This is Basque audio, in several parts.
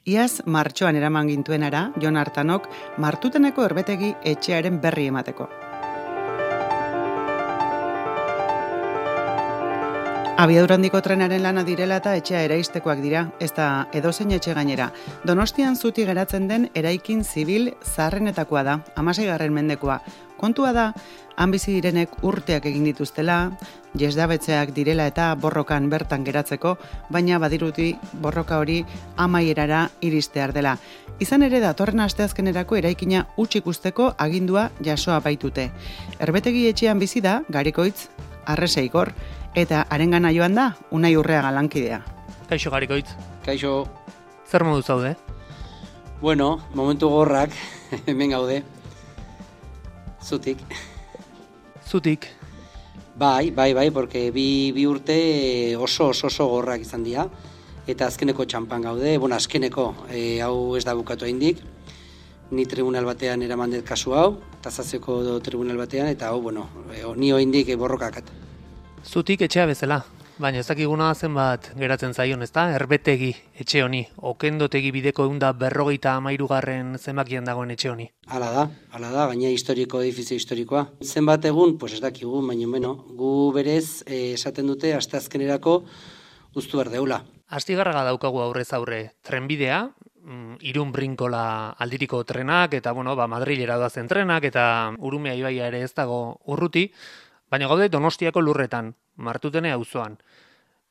Iaz martxoan eraman gintuenara, Jon Artanok, Martuteneko erbetegi etxearen berri emateko. Abiadura handiko trenaren lana direla eta etxea eraistekoak dira, ez da edozein etxe gainera. Donostian zuti geratzen den eraikin zibil zaharrenetakoa da, 16. mendekoa. Kontua da, han bizi direnek urteak egin dituztela, jesdabetzeak direla eta borrokan bertan geratzeko, baina badirudi borroka hori amaierara iristear dela. Izan ere datorren asteazkenerako eraikina hutsik usteko agindua jasoa baitute. Erbetegi etxean bizi da, Garikoitz, Arrese Igor, eta harengana joan da, Unai Urreaga lankidea. Kaixo, Garikoitz. Kaixo. Zer modu zaude? Bueno, momentu gorrak, hemen gaude. Zutik. Zutik? Bai, porque bi urte oso gorrak izan dira. Eta azkeneko txampan gaude, azkeneko, hau ez da bukatu eindik. Ni tribunal batean eraman dut kasu hau, tasazioko tribunal batean, eta hau, ni oindik borrokakat. Zutik etxea bezala, baina ez dakiguna zenbat geratzen zaion, ezta? Erbetegi etxe honi, okendotegi bideko 153. zenbakian dagoen etxe honi. Hala da, gaina edifizio historikoa. Zenbat egun, ez dakigu, baina gu berez esaten dute asteazkenerako uztu behar deula. Astigarraga daukagu aurrez aurre trenbidea, Irun Brinkola aldiriko trenak, eta Madrilera doazen trenak, eta Urumea ibaia ere ez dago urruti, baina gaude Donostiako lurretan, Martutene auzoan.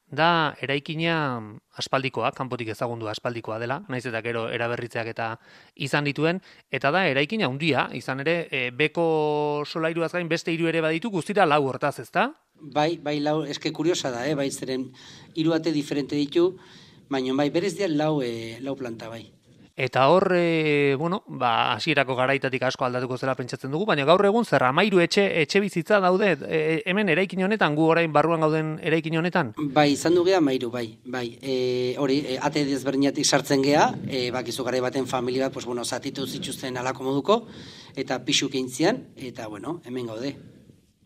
Da eraikina aspaldikoa, kanpotik ezagundu aspaldikoa dela, naiz eta gero eraberritzeak eta izan dituen, eta da eraikina handia, izan ere beko solairuaz gain beste 3 ere baditu, guztira 4 hortaz, ezta? Bai, lau, eske kuriosa da, bai zeren 3 ate diferente ditu, baina berez dira 4 planta bai. Eta hor, hasierako garaitatik asko aldatuko zela pentsatzen dugu, baina gaur egun zer 13 etxe bizitza daude hemen eraikin honetan, gu orain barruan gauden eraikin honetan? Bai, izan du gea 13, bai. Hori, ate desberdinatik sartzen gea, bakizu garai baten familia bat, zatitu zituzten alako moduko, eta pixuk eintzian, eta hemen gaude.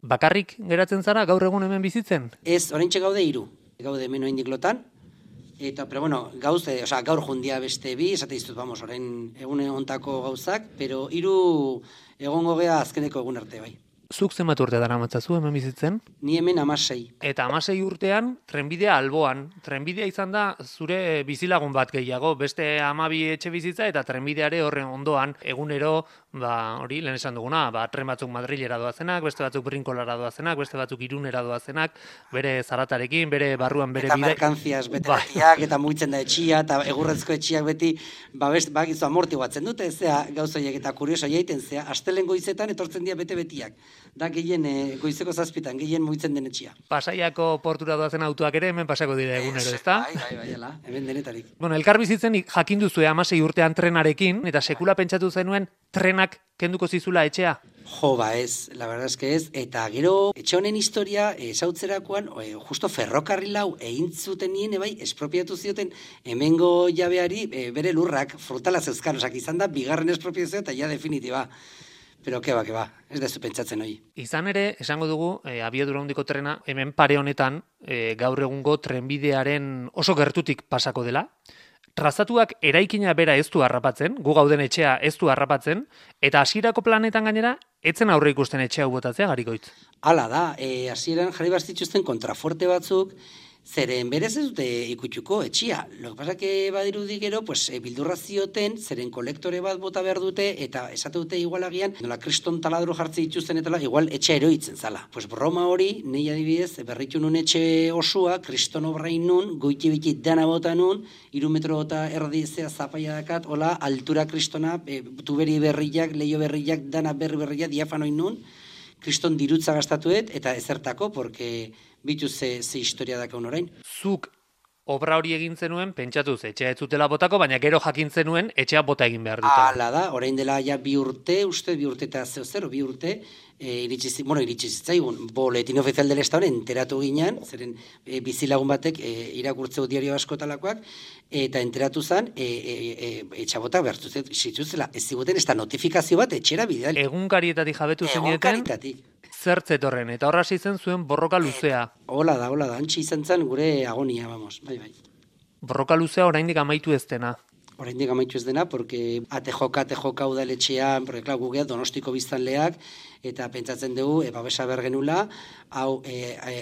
Bakarrik geratzen zara gaur egun hemen bizitzen? Ez, oraintxe gaude 3. Gaude hemen oraindik lotan. Eta, gaur jundia beste 2, esate dizut, orain egun hontako gauzak, pero 3 egongo gea azkeneko egun arte, bai. Zuk zenbat urte daramatzazu hemen bizitzen? Ni hemen 16. Eta 16 urtean, trenbidea alboan. Trenbidea izan da zure bizilagun bat gehiago, beste 12 etxe bizitza eta trenbideare horren ondoan, egunero, hori, lehen esan duguna, tren batzuk Madrilera doazenak, beste batzuk Brinkolara doazenak, beste batzuk Irunera doazenak, bere zaratarekin, bere barruan, bere bidai. Eta merkantziaz bete betiak, eta mugitzen da etxia, eta egurrezko etxiak beti, bakizu amortiguatzen dute, gauzoiek eta kurioso jaiten, astelen goizetan etortzen dira bete-betiak. Da gehien goizeko 7 gehien mugitzen den etxia. Pasaiako portura doazen autoak ere hemen pasako dira egunero, ezta? Bai, hemen denetarik. Elkar bizitzen jakin duzu 16 urtean trenarekin, eta sekula pentsatu zenuen trenak kenduko zizula etxea? Jo, ez, la verdad es que ez, eta gero etxe honen historia esautzerakoan, justo ferrokarril hau egin zuten nien, espropiatu zioten hemengo jabeari bere lurrak frutala zeuzkan, izan da bigarren espropiazioa eta ja definitiba. Pero ke ba, ez da zu pentsatzen hori. Izan ere, esango dugu, abiadura handiko trena, hemen pare honetan, gaur egungo trenbidearen oso gertutik pasako dela. Trazatuak eraikina bera ez du harrapatzen, gu gauden etxea ez du harrapatzen, eta hasierako planetan gainera, etzen aurre ikusten etxea botatzea, Garikoitz. Hala da, hasieran jarri bazituzten kontrafuerte batzuk, zeren berez ez dute ikutxuko etxia. Lo que pasa que badirudi gero, bildurra zioten, zeren kolektore bat bota behar dute, eta esate dute igualagian, nola kriston taladro jartzi dituzten eta igual etxea eroitzen zala. Broma hori, nahi adibidez, berritu nun etxe osua, kriston obrain nun, goiti biti dana bota nun, 3 metro eta erdi zea zapaia dakat, hola, altura kristona, tuberi berriak, leio berriak, dana berriak, diafanoin nun, kriston dirutza gastatuet, eta ezertako, porque bitu ze historia dakaun orain. Zuk obra hori egin zenuen, pentsatuz etxea ez zutela botako, baina gero jakin zenuen etxea bota egin behar dute. Hala da, orain dela ja 2 urte, 2 urte eta 2 urte, iritsi zitzaigun, boletin ofizial del Estado enteratu ginen, zeren bizilagun batek irakurtzeu diario askotalakoak, eta enteratu zen, etxabotak behartu zituzela. Ez ziguten ez da notifikazio bat etxera bidali. Egunkarietatik jabetu zeneten, zer zetorren, eta horra zen zuen borroka luzea. Hola da, antxe izan zen gure agonia, bai. Borroka luzea oraindik amaitu ez dena. oraindik amaitu ez dena, porque ate joka udaletxean, porque, klar, gugea Donostiko biztanleak, eta pentsatzen dugu, babesa behar genula, hau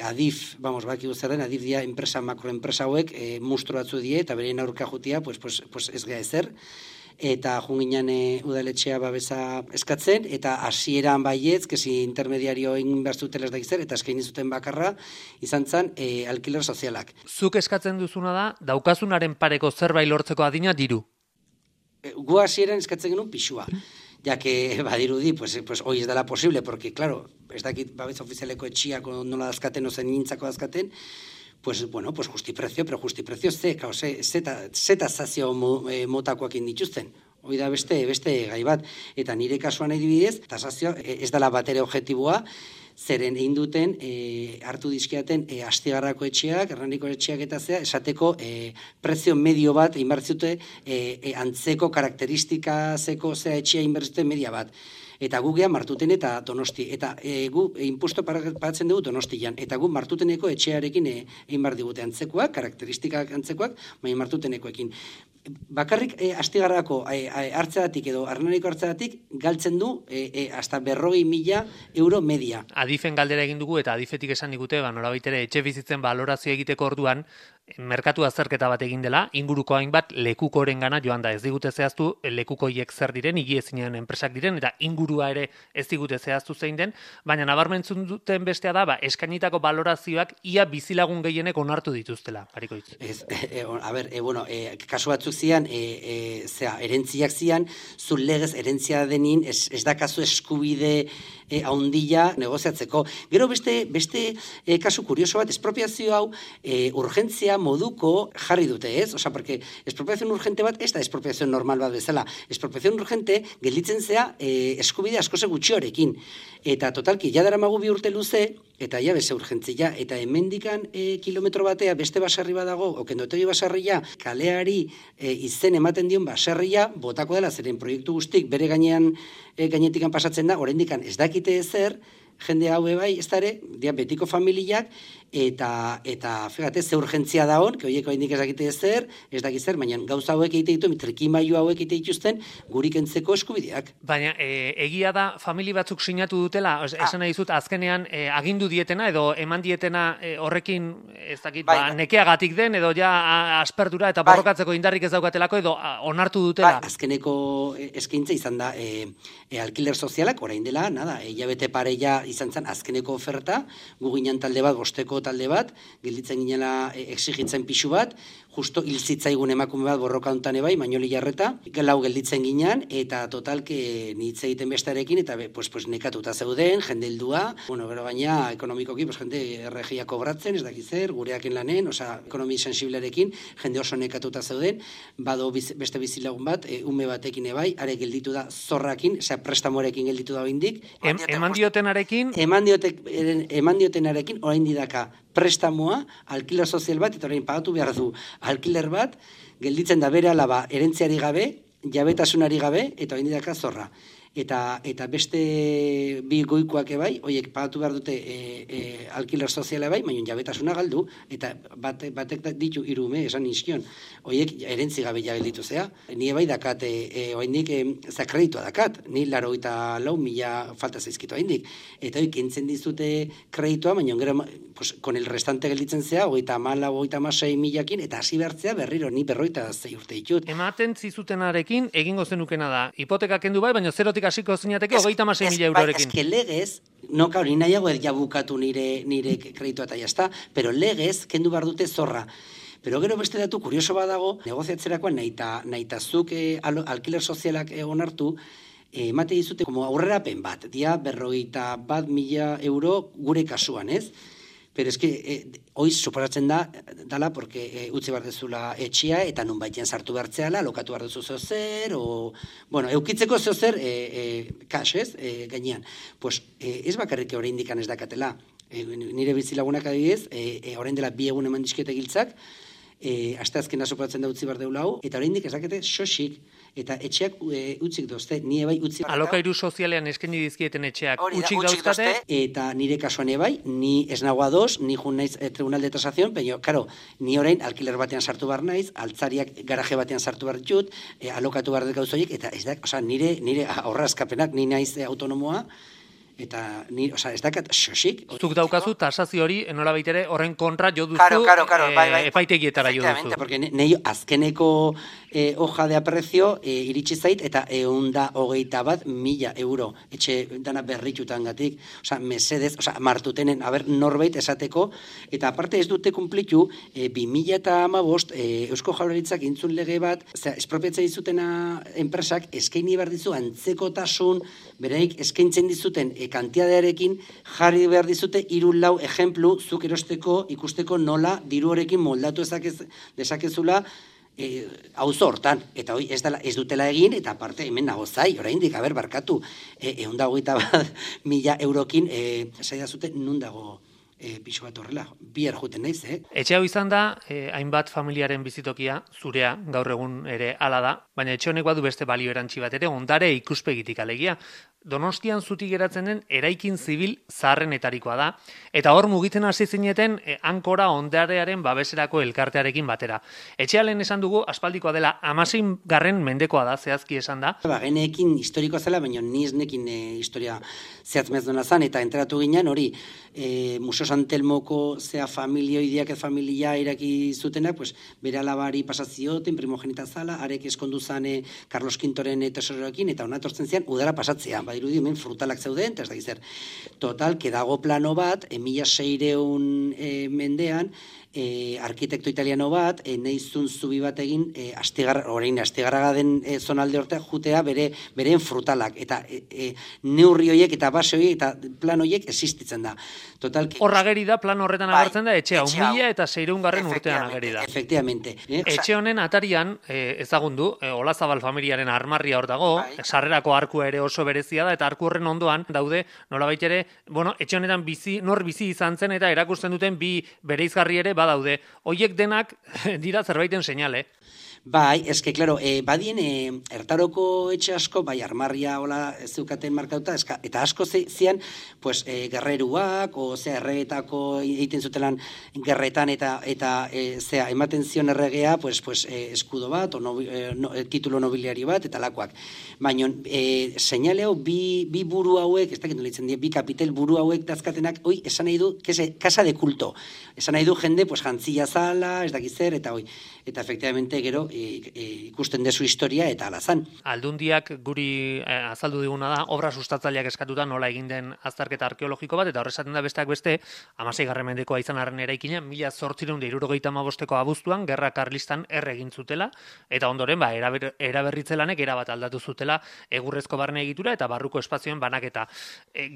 Adif, baki zer den, Adif dia makroenpresa hauek, mustro batzu die, eta bereen aurka jutia, pues ez gea ezer, eta junginan udaletxea babesa eskatzen, eta hasieran baietz, kesi intermediario egin behar zutela ez da gizer, eta eskaini zuten bakarra, izan zen alkiler sozialak. Zuk eskatzen duzuna da, daukazunaren pareko zerbait lortzeko adina diru? Gu hasieran eskatzen genuen pixua. Ya que badirudi, pues hoy ez dela posible, porque, claro, ez dakit babes ofizialeko etxiak nola dazkaten, ozen nintzako dazkaten, pues justiprecio, pero justiprecio ze tasazio motakoak indituzten. Hoi da beste gai bat. Eta nire kasuan adibidez, tasazio ez dela batere objektiboa, zeren egin duten hartu dizkiaten Astigarrako etxeak, Hernaniko etxeak eta zea, esateko prezio medio bat inbertzute antzeko karakteristikazeko zea etxea inbertzute media bat. Eta gu gehan Martuten eta Donosti. Eta gu impuesto pagatzen dugu Donostian. Eta gu Martuteneko etxearekin egin behar digute antzekoak, karakteristikak antzekoak, baina Martutenekoekin. Bakarrik Astigarrako hartzeatik edo Hernaniko hartzeatik galtzen du hasta 40.000 euro media. Adifen galdera egin dugu eta adifetik esan digute, norabait ere etxe bizitzen balorazio egiteko orduan, merkatu azterketa bat egin dela, inguruko hainbat lekukorengana joan da. Ez digute zehaztu lekukoiek zer diren, higiezinean enpresak diren, eta ingurua ere ez digute zehaztu zein den, baina nabarmentzun duten bestea da, eskainitako balorazioak ia bizilagun gehienek onartu dituztela, Garikoitz. Kasu batzuk zian, erentziak zian, zu legez erentzia denin, ez da kasu eskubide haundila negoziatzeko. Gero beste kasu kurioso bat, espropiazio hau urgentzia moduko jarri dute, ez? Osa, porque espropiazio urgente bat ez da espropiazio normal bat bezala. Espropiazio urgente gelditzen zea eskubide askoze gutxiorekin. Eta totalki, ja daramagu 2 urte luze, eta ja beze urgentzia, eta hemendikan kilometro batea beste baserri badago, okendotegi baserria, kaleari izen ematen dion baserria, botako dela, zeren proiektu guztik bere gainetikan pasatzen da, oraindikan ez dakite ezer, jende hau bai, ez dara, betiko familiak, eta fíjate, ze urgentzia da hon, que horiek oraindik ez dakite ezer, ez dakit zer, baina gauza hauek egite ditu, trikimailu hauek egite dituzten, gurik entzeko eskubideak. Baina, egia da, famili batzuk sinatu dutela, esan nahi dizut, azkenean agindu dietena, edo eman dietena horrekin, ez dakit, nekeagatik den, edo ja aspertura eta borrokatzeko indarrik ez daukatelako, edo onartu dutela. Azkeneko eskaintza izan da, alkiler sozialak, orain dela, hilabete pareia izan zen azkeneko oferta, gu ginen talde bat, bosteko talde bat, gelditzen ginela exigitzen pixu bat, justo hilzitzaigun emakume bat borroka hontan ebai, Mañoli Jarreta, lau gelditzen ginen, eta totalke nitze egiten bestarekin, eta nekatuta zeuden, jende heldua, gero baina ekonomikoki, jende erregia kobratzen, ez dakiz zer, gureakin lanen, ekonomi sensiblearekin, jende oso nekatuta zeuden, bado beste bizilagun bat, ume batekin ebai, are gelditu da zorrakin, prestamorekin gelditu da bindik. Eman diotenarekin? Eman diotenarekin, orain didaka prestamoa, alkiler sozial bat, eta orain pagatu behar du alkiler bat, gelditzen da bere alaba erentziari gabe, jabetasunari gabe, eta orain didaka zorra. Eta beste bi goikoak ebai, horiek pagatu behar dute alkiler soziala ebai, baina jabetasuna galdu, eta batek ditu 3 ume, esan nizkion, horiek erentzi gabe jabelditu zea. Ni ebai dakat, oaindik kreditua dakat, ni 84.000 falta zaizkitu oaindik. Eta horiek entzen dizute kreditua, baina gero, con el restante gelditzen zea, 34.000 eta hasi behartzea berriro, ni 46 urte ditut. Ematen zizutenarekin egingo zenukena da, hipoteka kendu bai, baina zerotik hasiko zinateke 36.000 eurorekin. Ez que legez, ni nahiago ez jabukatu nire kreditua eta jazta, pero legez, kendu behar dute zorra. Pero gero beste datu kurioso badago, negoziatzerakoan nahita zuk alkiler sozialak onartu, emate dizute como aurrerapen bat, dia 41.000 euro gure kasuan, ez? Pero es que hoy suposatzen dala porque utzi behar dezula etxia eta nun baitean sartu behartzeala, lokatu behar duzu zeozer, eukitzeko zeozer cash, ez, gainean. Pues ez bakarrik orain indikan ez dakatela. Nire bizilagunak adibidez, orain dela 2 egun eman dizkiete giltzak, asteazkena sopratzen da utzi behar deulau, eta oraindik ez dakete sosik, eta etxeak utzik dozte, ni ebai utzi behar. Alokairu sozialean eskaini dizkieten etxeak utzik dauzkate. Eta nire kasuan ebai, ni ez nagoa doz, ni jun naiz tribunal de tasazion, baina, karo, ni orain alkiler batean sartu behar naiz, altzariak garaje batean sartu behar ditut, alokatu behar dut gauzoiek, eta ez da, nire aurrazkapenak, ni naiz autonomoa, eta ni, ez dakat sosik. Zuk daukazu tasazio hori enola baitere horren kontra jo duzu bai. epaitegietara jo duzu. Porque neio azkeneko hoja de aprecio iritsi zait eta 121.000 euro etxe dana berritutan gatik. Mesedez, martutenen, norbait esateko, eta aparte ez dute kumplitu 2015 Eusko Jaurlaritzak intzun lege bat, espropiatzea dizutena enpresak eskaini behar dizu antzekotasun, bereik eskaintzen dizuten kantidadearekin jarri behar dizute 3-4 ejemplu zuk erosteko ikusteko nola diru horekin moldatu dezakezula auzo hortan, eta hoi ez dutela egin, eta aparte hemen nago zai, oraindik, barkatu, 121.000 eurokin, zaida zuten nun dago pixo bat horrela, bihar juten naiz, Etxe hau izan da, hainbat familiaren bizitokia, zurea, gaur egun ere hala da, baina etxe honek badu beste balio erantzi bat ere, ondare ikuspegitik alegia. Donostian zutik geratzen den eraikin zibil zaharrenetarikoa da, eta hor mugitzen hasi zineten ankora ondarearen babeserako elkartearekin batera. Etxealen esan dugu aspaldikoa dela 16. mendekoa da, zehazki esan da. Geneekin historikoa zela, baina niznekin historia zehatzmez duna zan, eta enteratu ginen hori Museo Santelmoko familioideak familia iraki zutenak, bere alabari pasazioten, primogenita zala, arek eskondu zane Carlos Quintoren tesoreroekin, eta hona tortzen zian udara pasatzea, badirudi hemen frutalak zeuden, eta ez da gizer. Total, kedago plano bat, 1600 mendean, arkitekto italiano bat, neizun zubi bat egin, astigarraga den zonalde hortea jutea bereen frutalak, eta neurri horiek eta base horiek eta plan horiek existitzen da. Horra ageri da, plan horretan agertzen da, etxea, 1600 urtean ageri da. Efectivamente. Etxe honen atarian, ezagundu, Olazabal familiaren armarria hor dago, sarrerako arkua ere oso berezia da, eta arku horren ondoan daude, nolabait ere, etxe honetan nor bizi izan zen, eta erakusten duten bi bereizgarri ere badaude. Hoiek denak dira zerbaiten seinale. Bai, eske, klaro, badien ertaroko etxe asko, bai, armarria hola zeukaten markauta, eta asko zian, gerreruak, erregetako egiten zutelan gerretan, eta ematen zion erregea, eskudo bat, titulo nobiliario bat, eta lakoak. Baina, seinale hau, bi buru hauek, ez dakit nolitzen die, bi kapitel buru hauek dazkatenak, esan nahi du, casa de culto. Esan nahi du jende, jantzia zala, ez dakit zer, eta efectivamente gero, ikusten dezu historia eta alazan. Aldundiak guri azaldu diguna da, obra sustatzaileak eskatuta nola egin den azterketa arkeologiko bat, eta horrezaten da besteak beste, 16. mendekoa izan arren eraikina, 1875 abuztuan, gerra karlistan egin zutela, eta ondoren, eraberritzelanek erabat aldatu zutela egurrezko barne egitura eta barruko espazioen banaketa.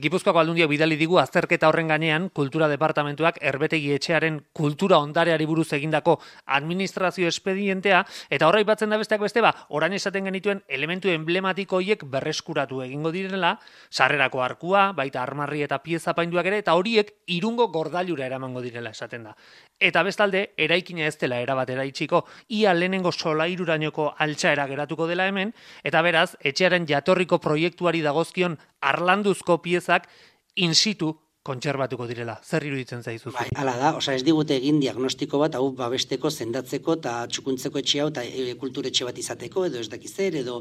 Gipuzkoako aldundiak bidali digu azterketa horren gainean, kultura departamentuak erbetegi etxearen kultura ondareari buruz egindako administrazio espedientea, eta horra ipatzen da besteak beste, orain esaten genituen elementu emblematiko horiek berreskuratu egingo direla, sarrerako arkua, baita armarri eta pieza painduak ere, eta horiek Irungo gordailura eramango direla esaten da. Eta bestalde, eraikina ez dela erabat eraitsiko, ia lehenengo solairurainoko altxaera geratuko dela hemen, eta beraz, etxearen jatorriko proiektuari dagozkion harlanduzko piezak in situ kontserbatuko direla. Zer iruditzen zaizu? Bai, hala da, ez digute egin diagnostiko bat, hau babesteko, sendatzeko eta txukuntzeko etxe hau eta kulturetxe bat izateko, edo ez dakiz zer, edo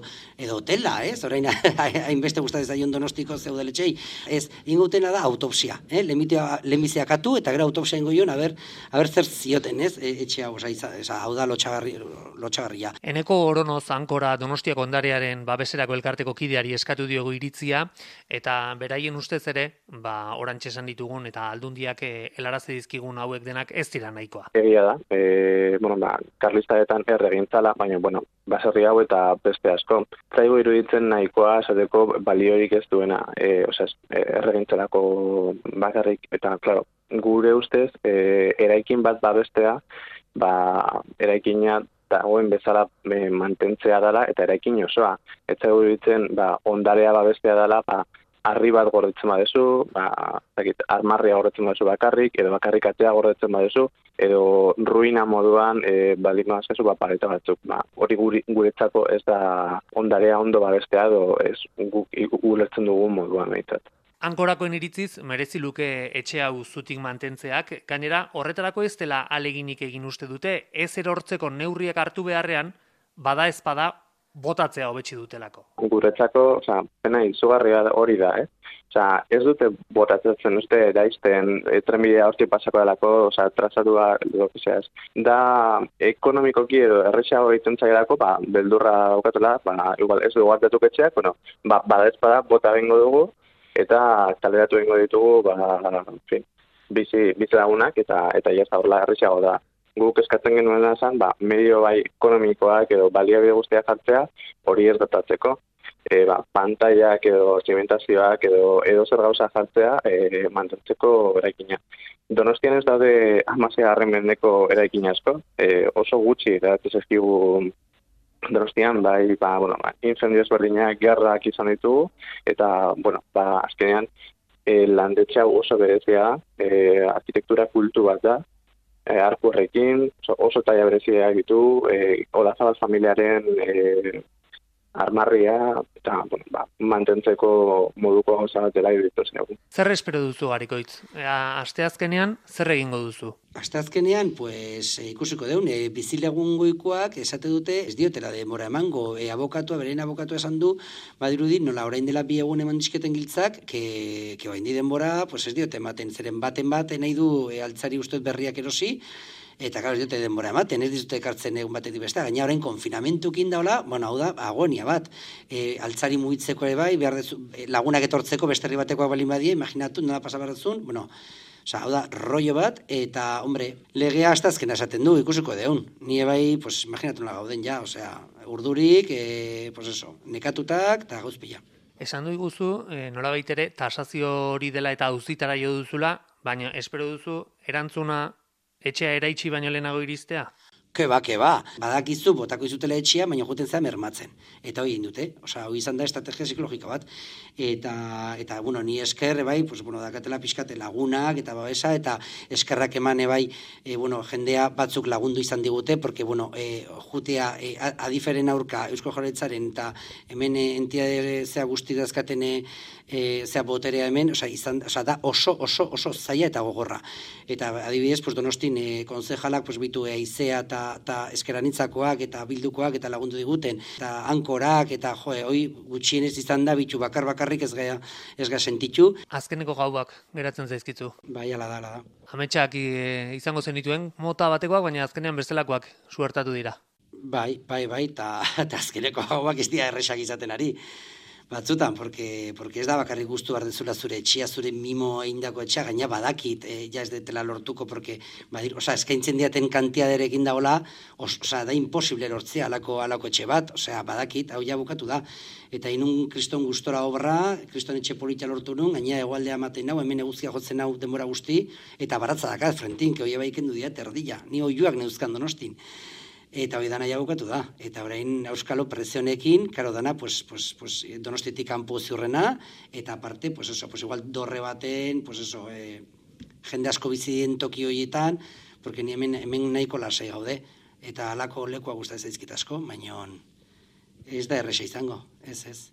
hotela, orain hainbeste gustatzen zaion Donostiko zeudaletxei. Ez, ingutena da autopsia, lehenbiziak atu eta gero autopsia ingo joan, aber zer zioten, etxe hau, hau da lotxagarria. Eneko Oronoz ankora Donostiako ondarearen babeserako elkarteko kideari eskatu diogu iritzia, eta beraien ustez ere, orantxe esan ditugun eta aldundiak helarazi dizkigun hauek denak ez dira nahikoa. Egia da, karlistaetan erregintzala, baina, baserri hau eta beste asko. Zaigu iruditzen nahikoa esateko baliorik ez duena, erregintzalako bakarrik, eta, klaro, gure ustez, eraikin bat babestea, eraikina dagoen bezala mantentzea dela, eta eraikin osoa. Ez zaigu iruditzen, ondarea babestea dela, harri bat gordetzen baduzu, armarria gordetzen baduzu bakarrik, edo bakarrik atea gordetzen baduzu, edo ruina moduan baldin bazazu pareta batzuk. Hori guretzako ez da ondarea ondo babestea, edo ez ulertzen dugun moduan behintzat. Ankorakoen iritziz, merezi luke etxe hau zutik mantentzeak, gainera horretarako ez dela aleginik egin uste dute, ez erortzeko neurriak hartu beharrean, bada ez bada botatzea hobetsi dutelako. Guretzako, pena izugarria hori da, ez dute botatzen uste eraizten trenbidea hortik pasako delako, trazatua, da ekonomikoki edo errexago egiten zaielako, beldurra daukatela, igual ez dugu hartetuk etxeak, bada ez bada bota bengo dugu, eta kaleratu bengo ditugu, bizi lagunak, eta jazta horrela errexago da. Guk eskatzen genuena zen, medio bai ekonomikoak edo baliabide guztiak jartzea hori ez datatzeko. Pantaiak edo zimentazioak edo zer gauza jartzea mantentzeko eraikina. Donostian ez daude 16. mendeko eraikin asko, oso gutxi daratzen zaizkigu Donostian, incendio ezberdinak, gerrak izan ditugu, eta, azkenean, landetxe hau oso berezia da, arkitektura kultu bat da, arku horrekin, oso taia bereziak ditu, Olazabal familiaren armarria, eta mantentzeko moduko gauza bat dela iruditu zen. Zer espero duzu, Garikoitz? Asteazkenean, zer egingo duzu? Asteazkenean, ikusiko deun, bizilagun goikoak esate dute, ez diotela demora emango, beren abokatua esan du, badirudi, nola orain dela 2 egun eman dizketen giltzak, que orain di denbora, ez diote ematen, zeren baten nahi du altzari usteet berriak erosi, eta ez diote denbora ematen, ez dizute ekartzen egun batetik beste, gaina orain konfinamentukin daula, hau da, agonia bat, altzari mugitzeko ere bai, lagunak etortzeko beste herri batekoak balin badia, imaginatu, nola pasabarratzun, hau da, rollo bat, eta, legea asteazkena esaten du, ikusiko deun. Ni bai, imaginatu nola gauden ja, urdurik, nekatutak, eta gauzpila. Esan du iguzu, nola baitere, tasazio hori dela eta auzitara jo duzula, baina espero duzu, erantzuna etxea eraitsi baino lehenago iristea? Keba, badakizu, botako izutela etxea, baina joten zea mermatzen. Eta hori indute, hori izan da estrategia psikologika bat. Eta ni esker, dakatela pixkate lagunak, eta babesa, eta eskerrak eman, jendea batzuk lagundu izan digute, porque, jutea adiferen aurka Eusko Jaurlaritzaren, eta hemen entidade zea guzti dazkaten zea boterea hemen, da oso zaila eta gogorra. Eta adibidez, Donostin konzejalak bitu aizea eta eskeranitzakoak eta bildukoak eta lagundu diguten, eta ankorak, eta hoi gutxienez izan da, bitu bakarrik ez ga sentitu. Azkeneko gauak geratzen zaizkitzu. Bai, ala da. Ametsak izango zenituen mota batekoak, baina azkenean bestelakoak suertatu dira. Bai, eta azkeneko gauak ez dira erresak izaten ari. Batzutan, porque ez da bakarrik guztu behar dezula zure etxea, zure mimo eindako etxea, gaina badakit, ja ez detela lortuko, porque, eskaintzen diaten kantiaderekin daola, da imposible lortzea alako etxe bat, badakit, hau ja bukatu da. Eta inun kriston gustora obra, kriston etxe politia lortu nun, gaina egualdea ematen nau, hemen eguzkia jotzen hau denbora guzti, eta baratza dakat, frentin, que hoi ebaiken du diat erdila, ni oiuak neuzkan Donostin. Eta hori dana ja bukatu da. Eta orain Euskalo prezionekin, karo dana, Donostitik kanpo ziurrena, eta aparte, igual dorre baten, jende asko bizi dien toki horietan, porque ni hemen nahiko lasai gaude, eta halako lekua gustatzen zaizkit asko, baina ez da erresa izango, ez.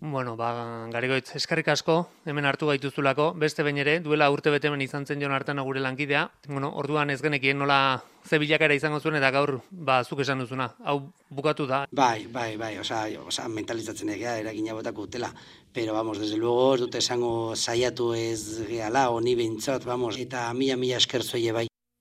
Garikoitz, eskerrik asko, hemen hartu gaituzulako, beste behin ere, duela urte betemen izan zen Jon Artana gure lankidea, orduan ez genekien nola ze bilakara izango zuen, eta gaur, zuk esan duzuna, hau bukatu da. Bai, mentalizatzen egea, eragina botako utela, pero, desde luego, ez dute esango saiatu ez gehala, honi behintzat, eta mila esker zoie bai.